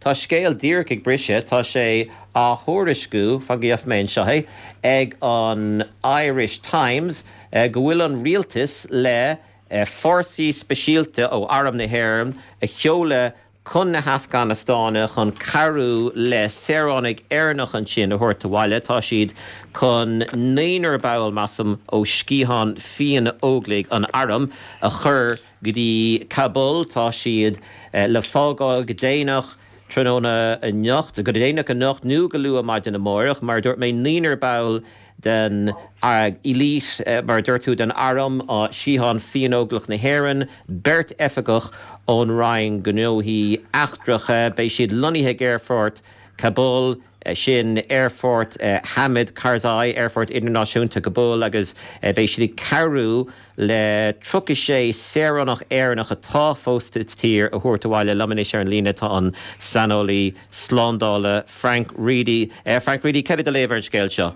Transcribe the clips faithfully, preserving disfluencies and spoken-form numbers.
Tá scéal díreach ag briseadh, tá sé á thuairisciú fan go bhfeicfidh mé anseo é ag an Irish Times go bhfuil an rialtas le fórsaí speisialta ó Arm na hÉireann a sheoladh chun na hAfganastáine chun cabhrú le saoránaigh Éireannach ansin a thabhairt abhaile. Tá siad chun naonúr ball measaim ó sciathán Fiann-Óglaigh an Airm a chur go dtí Kabul. Tá siad le fágáil go déanach tráthnóna anocht, go déanach anocht nó go luath maidin amárach, mar dúirt mé naonúr ball den elite mar dúirt tú den arm sciathán Fiann-Óglach na hÉireann, beirt oifigeach ón Roinn Gnóthaí Eachtracha, beidh siad lonnaithe ag aerfort Kabul, sin aerfort Hamid Karzai, aerfort idirnáisiúnta Kabul agus beidh siad ag cabhrú le tríocha sé saoránach Éireannach atá fós sa tír a thabhairt abhaile. Liom anois ar an líne tá an saineolaí slándála Frank Reidy. Frank Reidy, céard é do léamh ar an scéal seo?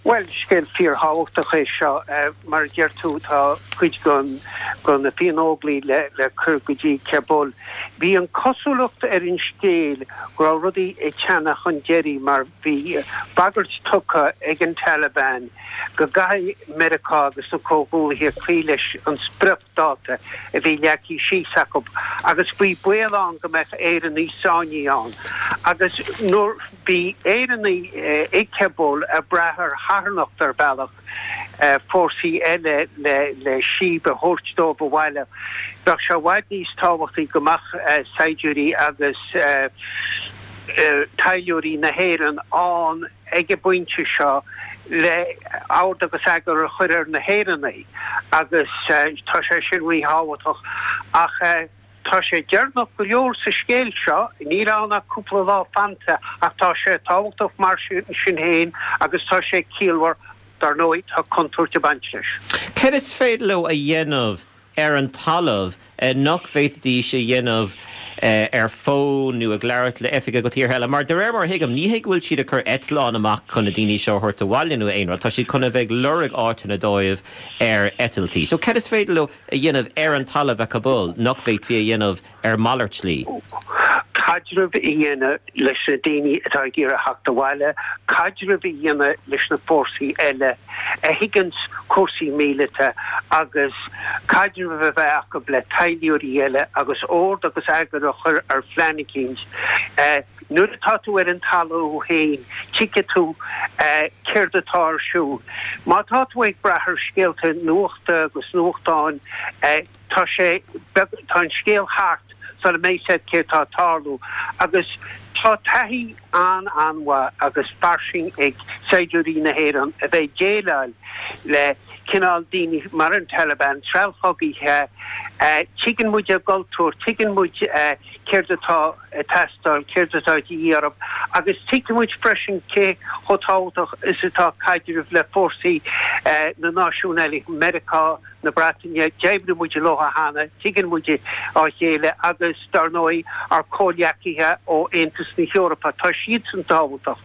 Bhuel, scéal fíorthábhachtach é seo. Mar a deir tú, tá cuid den de na Fiann-Óglaigh le le cur go dtí Kabul. Bhí an cosúlacht ar an scéal go raibh rudaí ag teannadh chun deiridh mar bhí bagairt tugtha ag an Taliban go gcaithfidh Meiriceá agus na comhghuaillithe cloí leis an spriocdháta a bhí leagtha síos acu agus bhí baol ann go mbeadh Éireannaigh sáinnithe ann. Agus nuair bhí Éireannaigh i Kabul ag brath ar charthanacht ar bhealach fórsaí eile le le síob a thabhairt dóibh abhaile. Bheadh sé i bhfad níos tábhachtaí go mbeadh saighdiúirí agus taidhleoirí na hÉireann ann ag an bpointe seo le ord agus eagar a chur ar na hÉireannaigh agus tá sé sin ríthábhachtach ach tá sé deireanach go leor sa scéal seo, níl ann ach cúpla lá fanta ach tá sé tábhachtach mar sin féin agus tá sé ciallmhar, dar ndóigh tá contúirt ag baint leis. Céard is féidir leo a dhéanamh ar an talamh nach bhféadfaidís a dhéanamh ar fón nó ag labhairt le oifigigh ó thíortha eile? Mar de réir mar a thuigim, ní hé go bhfuil siad ag cur eitleán amach chun na daoine seo a thabhairt abhaile nó aon rud, tá siad chun a bheith ag lorg áiteanna dóibh ar eitiltí. So céard is féidir leo a dhéanamh ar an talamh i Kabul nach bhféadfaí a dhéanamh ar mhalairt slí? Caidreamh a dhéanamh leis na daoine atá ag iarraidh theacht abhaile, caidreamh a dhéanamh leis na fórsaí eile a thuigeanns cúrsaí míleata agus caidreamh a bheith acu le taidhleoirí eile agus ord agus eagar a chur ar phlean eicínt. Nuair atá tú ar an talamh féin, tuigfidh tú céard atá ar siúl. Má tá tú ag brath ar scéalta nuachta agus nuachtáin, tá sé beag, tá an scéal thart sula mbeidh a fhios agat céard atá ag tarlú agus tá taithí an-an-mhaith agus fairsing ag saighdiúirí na hÉireann a bheith ag déileáil le cineál daoine mar an Taliban, treallchogaithe. Tuigeann muid a gcultúr, tuigeann muid céard atá ag teastáil, céard atá de dhíth orthu agus tuigeann muid freisin cé chomh tábhachtach is atá caidreamh le fórsaí na náisiún eile, Meiriceá, na Breataine, d'oibrigh muid leo cheana, tuigeann muid a chéile agus, dar ndóigh, ár comhghleacaithe ó Aontas na hEorpa, tá siadsan tábhachtach.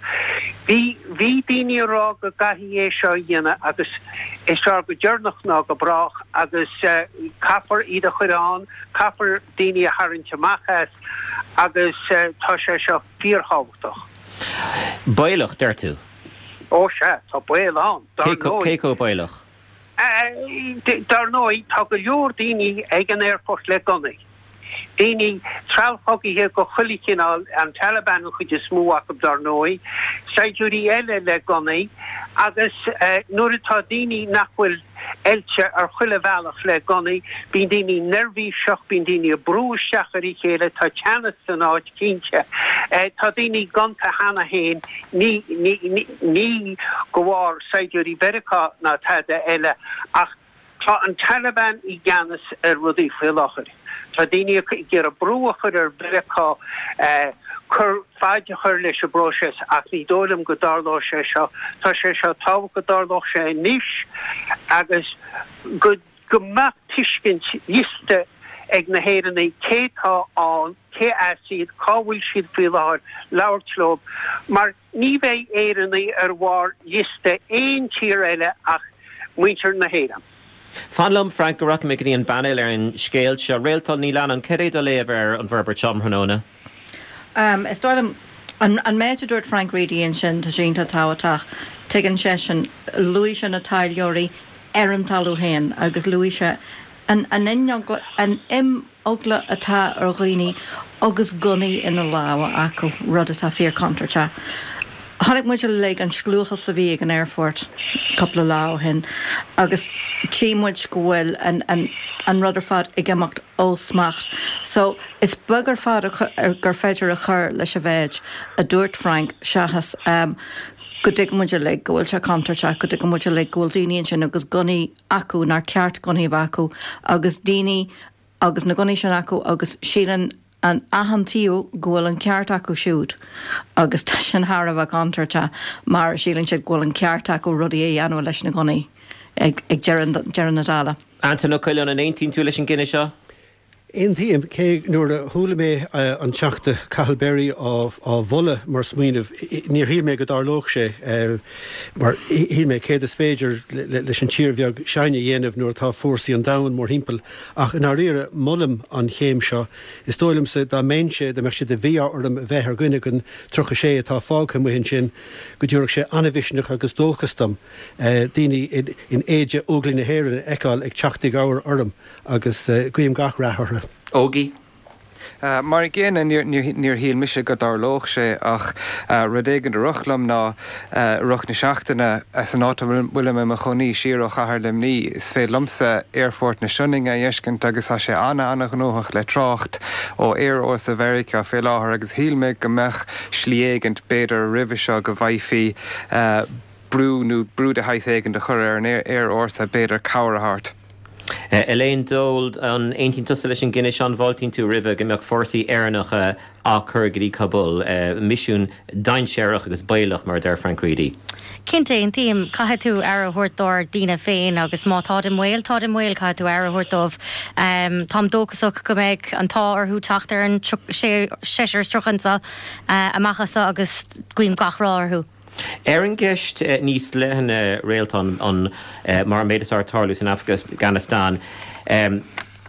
Bhí, bhí daoine ag rá go gcaithfidh é seo a dhéanamh agus is fearr go deireanach ná go brách agus caithfear iad a chur ann, caithfear daoine a tharraingt amach as agus tá sé seo fíorthábhachtach. Baolach, deir tú? Ó sea, tá baol ann, dar ndóigh. Cé chomh baolach? Dar ndóigh, tá go leor daoine ag an aerfort le gunnaí. Daoine, treallchogaithe de chuile chineál, an Taliban an chuid is mó acu dar ndóigh, saighdiúirí eile le gunnaí agus nuair atá daoine nach bhfuil oilte ar chuile bhealach le gunnaí, bíonn daoine neirbhíseach, bíonn daoine ag brú isteach ar a chéile, tá teannas san áit cinnte. Tá daoine gonta cheana féin, ní, ní, ní de bharr saighdiúirí Mheiriceá ná tada eile ach tá an Taliban i gceannas ar rudaí faoi láthair. Tá daoine ag iarraidh brú a chur ar Mheiriceá cur faid a chur leis an bpróiseas ach ní dóigh liom go dtarlóidh sé seo. Tá sé seo tábhachtach go dtarlódh sé anois agus go go mbeadh tuiscint liosta ag na hÉireannaigh cé tá ann, cé as iad, cá bhfuil siad faoi láthair, labhairt leo mar ní bheidh Éireannaigh ar bharr liosta aon tír eile ach muintir na hÉireann. Fan liom, Frank, go rachaidh mé go dtí an bpainéal ar an scéal seo. Réaltán Ní Leannáin, cad é do léamh ar an bhforbairt seo um thráthnóna? Um, is dóigh liom an, an méid a dúirt Frank Reidy ansin tá sé iontach tábhachtach. Tuigeann seisean luaigh sé na taidhleoirí ar an talamh féin agus luaigh sé an, an, an imeagla atá ar dhaoine agus gunnaí ina lámha acu rud atá fíor contúirteach. Chonaic muid uilig an scliúchas a bhí ag an aerfort cúpla lá ó shin agus tchí muid go bhfuil an, an, an rud ar fad ag imeacht ó smacht. So is beag ar fad gur féidir a chur leis an mhéid a dúirt Frank seachas um, go dtuigeann muid uilig go bhfuil sé contúirteach go dtuigeann muid uilig go bhfuil daoine ansin agus gunnaí acu nár cheart gunnaí a bheith acu agus daoine agus na gunnaí sin acu agus síleann an achan taobh go bhfuil an ceart acu siúd agus tá sin thar a bheith contúirteach mar síleann siad go bhfuil an ceart acu rudaí a dhéanamh leis na gunnaí ag, ag deireadh na dála. Antain Ó Coileáin an aontaíonn tú leis an gcinneadh seo? Aontaím cé nuair a chuala mé an Teachta Cathal Berry á mholadh mar smaoineamh níor shíl mé go dtarlódh sé mar shíl mé céard is féidir leis an tír bheag sin a dhéanamh nuair atá fórsaí an domhain mórthimpeall ach i ndáiríre molaim an chéim seo. Is dóigh liomsa dá mbeinnse dá mbeadh sé de mhí-ádh orm a bheith ar dhuine den tríocha sé atá fágtha amuigh ansin go dtabharfadh sé an-mhisneach agus dóchas dom daoine in éide Óglaigh na hÉireann a fheiceáil ag teacht i gcabhair orm agus guím gach rath orthu. Ógie. Mar an gcéanna níor shíl mise go dtarlódh sé ach rud éigin a rith liom ná i rith na seachtaine san áit a bhfuilim i mo chónaí siar ó chathair Luimnigh is féidir liomsa aerfort na Sionainne a fheiscint agus tá sé an-an-ghnóthach le trácht ó aerfhórsa Mheiriceá fé láthair agus shíl mé go mbeadh slí éigint b'fhéidir roimhe seo go bhfaighfí brú nó brú de shaghas éigin a chur ar an aerfhórsa b'fhéidir cabhair a thabhairt. Elaine Dold, an aontaíonn tusa leis an gcinneadh seo an bhfáiltíonn tú roimhe go mbeadh fórsaí Éireannacha á cur go dtí Kabul, misiún dainséarach agus baolach mar a deir Frank Reidy. Cinnte aontaím caithfidh tú aire a thabhairt dár ndaoine féin agus má táid i mbaol táid i mbaol caithfidh tú aire a thabhairt dóibh. Táim dóchasach go mbeidh an t-ádh orthu teacht ar an seisear is tríocha anseo amach as agus guím gach rath orthu. Ar an gceist níos leithne Réaltán an mar an méid atá ag tarlú san Afganastáin,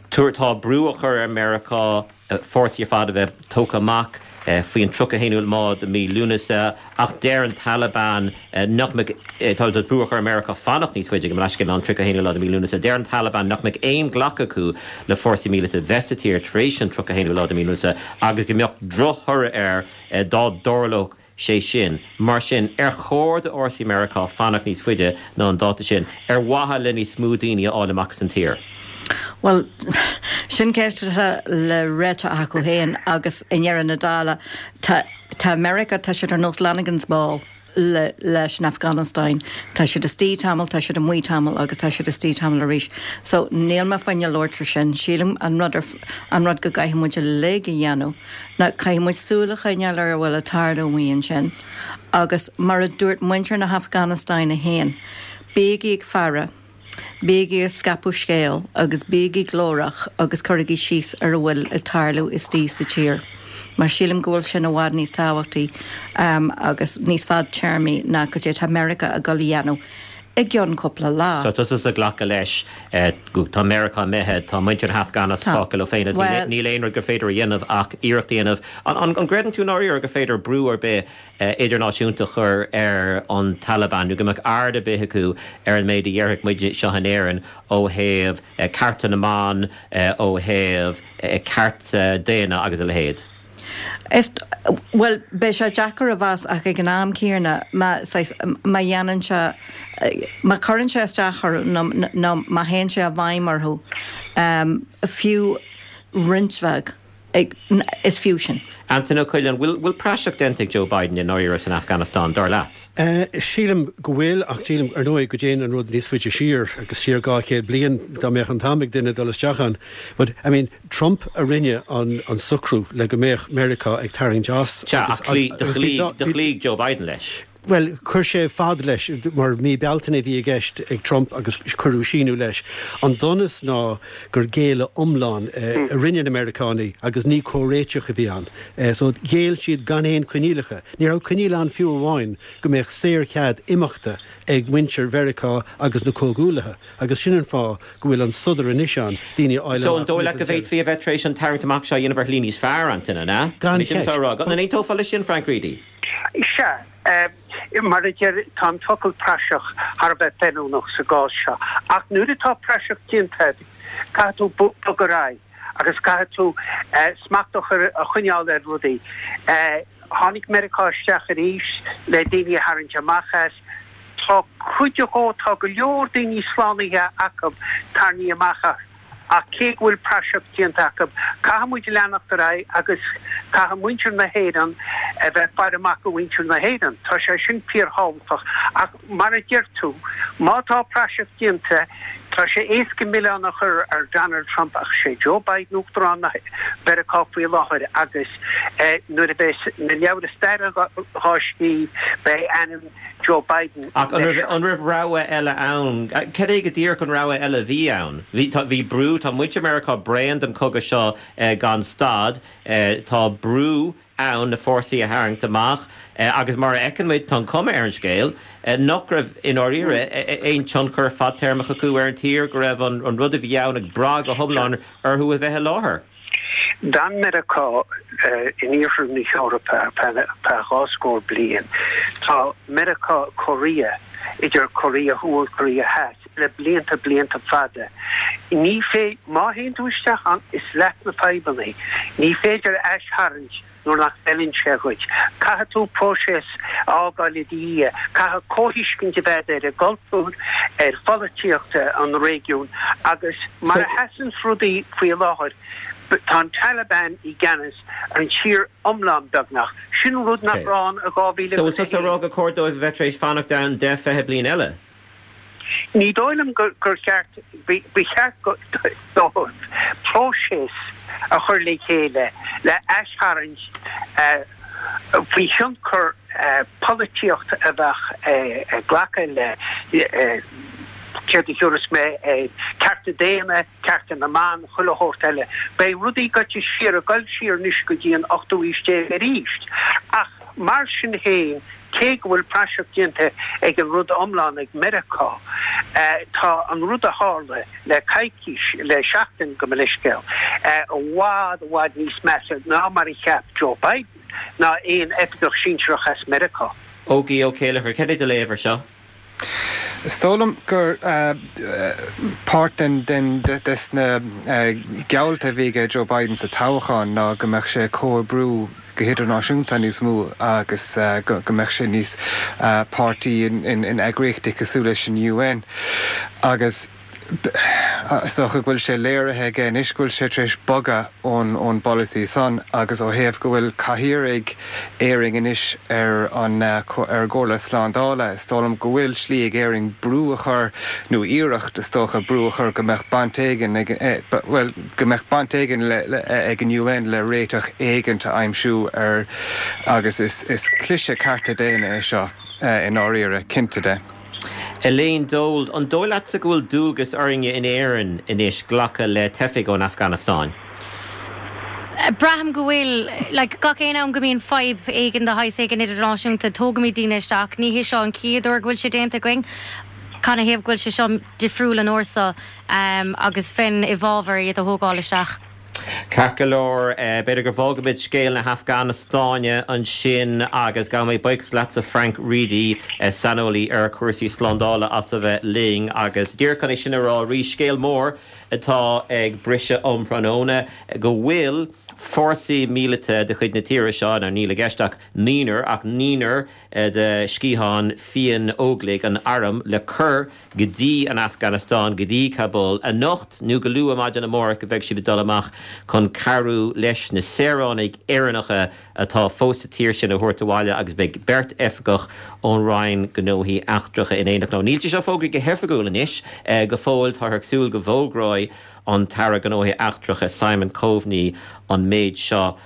tá brú á chur ar Meiriceá fórsaí ar fad a bheith tógtha amach faoin tríocha a haon lá de mhí Lúnasa ach deir an Taliban nach mbeidh, tá brú á chur ar Meiriceá fanacht níos faide go mbeidh an tríocha a haon lá de mhí Lúnasa. Deir an Taliban nach mbeidh aon ghlacadh acu le fórsaí míleata bheith sa tír tar éis an tríocha a haon lá de mhí Lúnasa agus go mbeadh drochthoradh air dá dtarlódh sé sin. Mar sin, ar chóir do fhórsaí Meiriceá fanacht níos faide ná an dáta sin, ar mhaithe le níos mó daoine a fháil amach as an tír? Bhuel, sin ceist atá le réiteach acu féin agus i ndeireadh na dála, tá tá Meiriceá, tá siad ar nós Lanigan's Ball le leis an Afganastáin. Tá siad istigh tamall, tá siad amuigh tamall agus tá siad istigh tamall arís. So níl mé fá choinne labhairt ar sin. Sílim an rud ar an rud go gcaithfidh muid uilig a dhéanamh ná caithfidh muid súil a choinneáil ar a bhfuil ag tarlú amuigh ansin. Agus mar a dúirt muintir na hAfganastáine féin, bígí ag faire, bígí ag scaipeadh scéal agus bígí glórach agus cuirigí síos ar a bhfuil ag tarlú istigh sa tír. Mar sílim go bhfuil sin i bhfad níos tábhachtaí agus níos fadtéarmaí ná cad é tá Meiriceá ag dul a dhéanamh i gcionn cúpla lá. So tusa ag glacadh leis go tá Meiriceá imithe, tá muintir na hAfganastáine fágtha leo féin agus níl aon rud gur féidir a dhéanamh ach iarracht a dhéanamh. An gcreideann tú i ndáiríre gur féidir brú ar bith idirnáisiúnta a chur ar an Taliban nó go mbeadh aird ar bith acu ar an méid a dhéarfadh muid seo in Éirinn ó thaobh cearta na mban, ó thaobh cearta daonna agus a leithéid? Is, bhuel, beidh sé deacair a mheas ach ag an am céanna má, saghas, má dhéanann sé, má chuireann sé isteach orthu nó, nó má théann sé i bhfeidhm orthu, fiú roinnt bheag, is fiú sin. Antain Ó Coileáin, bhfuil, bhfuil praiseach déanta ag Joe Biden i ndáiríre san Afganastáin, dar leat? Sílim go bhfuil ach sílim, ar ndóigh, go dtéann an rud níos faide siar agus siar dhá chéad bliain dá mbeadh an t-am ag duine dul isteach ann. But, I mean, Trump a rinne an an socrú le go mbeadh Meiriceá ag tarraingt as Sea, ach do chloígh Joe Biden leis. Bhuel, chuir sé fad leis, mar mí Bealtaine a bhí i gceist ag Trump agus cuireadh síneadh leis. An donas ná gur géilleadh iomlán a rinne na Meiriceánaigh agus ní comhréiteach a bhí ann. So ghéill siad gan aon choinníollacha. Ní raibh coinníoll ann fiú amháin go mbeadh saorchead imeachta ag muintir Mheiriceá agus na comhghuaillithe agus sin an fáth go bhfuil an sodar anois ann, daoine a fháil So an amach dóigh leat go bhféadfaí a bheith tar éis an tarraingt amach seo a dhéanamh ar shlí níos fearr, Antaine, an ea? Gan cheist. An aontófá leis sin, Frank Reidy? Sea. Mar a deir, tá an focal praiseach thar a bheith feiliúnach sa gcás seo. Ach nuair atá praiseach déanta agat, caithfidh tú bogadh ar aghaidh agus caithfidh tú smacht a chur, a choinneáil ar rudaí. Tháinig Meiriceá isteach arís le daoine a tharraingt amach as. Tá cuid dhó, tá go leor daoine slánaithe acu tarraingthe amach as. Ach cé go bhfuil praiseach déanta acu, caithfidh muid leanacht ar aghaidh agus caithfidh muintir na hÉireann a bheith ag faire amach do mhuintir na hÉireann. Tá sé sin fíorthábhachtach. Ach mar a deir tú, má tá praiseach déanta, tá sé éasca milleán a chur ar Donald Trump ach sé Joe Biden Uachtarán na Mheiriceá faoi láthair agus nuair a bheas na leabhra staire dhá scríobh, beidh ainm Joe Biden Ach an raibh, an raibh rogha eile ann? Cad é go díreach an rogha eile a bhí ann? Bhí, tá, bhí brú, tá muintir Meiriceá bréan den chogadh seo gan stad, tá brú ann na fórsaí a tharraingt amach agus mar a fheiceann muid, tá an chuma ar an scéal nach raibh i ndáiríre aon tionchar fadtéarmach acu ar an tír, go raibh an, an rud a bhí ann ag brath go hiomlán orthu a bheith i láthair. D'fhan Meiriceá in iarthar na hEorpa ar feadh dhá scór bliain. Tá Meiriceá Korea, idir Korea Thuaidh Korea Theas, le blianta blianta fada. Ní fé, má théann tú isteach ann, is leat na fadhbanna. Ní féidir aistharraingt nuair nach bhfeileann sé dhuit. Caithfidh tú próiseas a fhágáil i do dhiaidh. Caithfidh comhthuiscint a bheith ar an gcultúr, ar pholaitíocht an réigiúin agus mar a sheasanns rudaí faoi láthair, tá an Taliban i gceannas ar an tír iomlán beagnach. Sin rud nach raibh ann i dhá mhíle So bhfuil agus tusa a ag rá haon. gur chóir dóibh a bheith tar éis fanacht ann deich, fiche bliain eile? Ní dóigh liom gur cheart, ba cheart dóibh próiseas a chur le chéile le aistharraingt faoi thionchar polaitíocht a bheadh ag glacadh le céard a thiúrfas mé air, cearta daonna, cearta na mban, chuile shórt eile. Beidh rudaí goite siar, ag dul siar anois go dtí an ochtú aois déag arís. Ach mar sin féin, cé go bhfuil praiseach déanta ag an rud iomlán ag Meiriceá, tá an rud a tharla le coicís, le seachtain gabh mo leithscéal, i bhfad, i bhfad níos measa ná mar a cheap Joe Biden ná aon oifigeach sinsearach as Meiriceá. Ógie Ó Céilleachair, cad é do léamh ar seo? Is dóigh liom gur páirt den den des na geallta a bhí ag Joe Biden sa toghchán ná go mbeadh sé ag comhoibriú go hidirnáisiúnta níos mó agus go mbeadh sé níos páirtí in eagraíochtaí cosúil leis an U N agus is dócha go bhfuil sé léirithe aige anois go bhfuil sé tar éis bogadh ón ón bpolasaí san agus ó thaobh go bhfuil cathaoir ag Éirinn anois ar an ar an gComhairle Slándála, is dóigh liom go bhfuil slí ag Éirinn brú a chur nó iarracht is dócha brú a chur go mbeadh baint éigin ag bhuel go mbeadh baint éigin le le ag an U N le réiteach éigint a aimsiú ar agus is is cliseadh cearta daonna é seo i ndáiríre, cinnte de. Elaine Dold, an dóigh leatsa go bhfuil dualgas orainne in Éirinn anois glacadh le teifigh ón Afganastáin? Braithim go bhfuil, like, gach aon am go mbíonn fadhb éigin de shaghas éigin idirnáisiúnta, tógaimid daoine isteach. Ní hé seo an chéad uair go bhfuil sé déanta againn. Canathaobh go bhfuil sé seo difriúil an uair seo agus bheinn i bhfabhar iad a thógáil isteach. Ceart go leor, b'fhéidir go bhfágfaimid scéal na hAfganastáine ansin agus gabhaimid buíochas leatsa Frank Reidy, saineolaí ar chúrsaí slándála as a bheith linn agus díreach chun é sin a rá arís, scéal mór atá ag briseadh um thráthnóna go bhfuil fórsaí míleata de chuid na tíre seo, nó níl i gceist ach naonúr, ach naonúr de sciathán fiáin Óglaigh an Airm le cur go dtí an Afganastáin, go dtí Kabul, anocht nó go luath maidin amárach go bheidh siad ag dul amach chun cabhrú leis na saoránaigh Éireannacha atá fós sa tír sin a thabhairt abhaile agus beidh beirt oifigeach ón Roinn Gnóthaí Eachtracha in éineacht leo. Níl sé seo fógraithe go hoifigiúil anois go fóill, táthar ag súil go bhfógróidh an tAire Gnóthaí Eachtracha Simon Coveney an méid seo.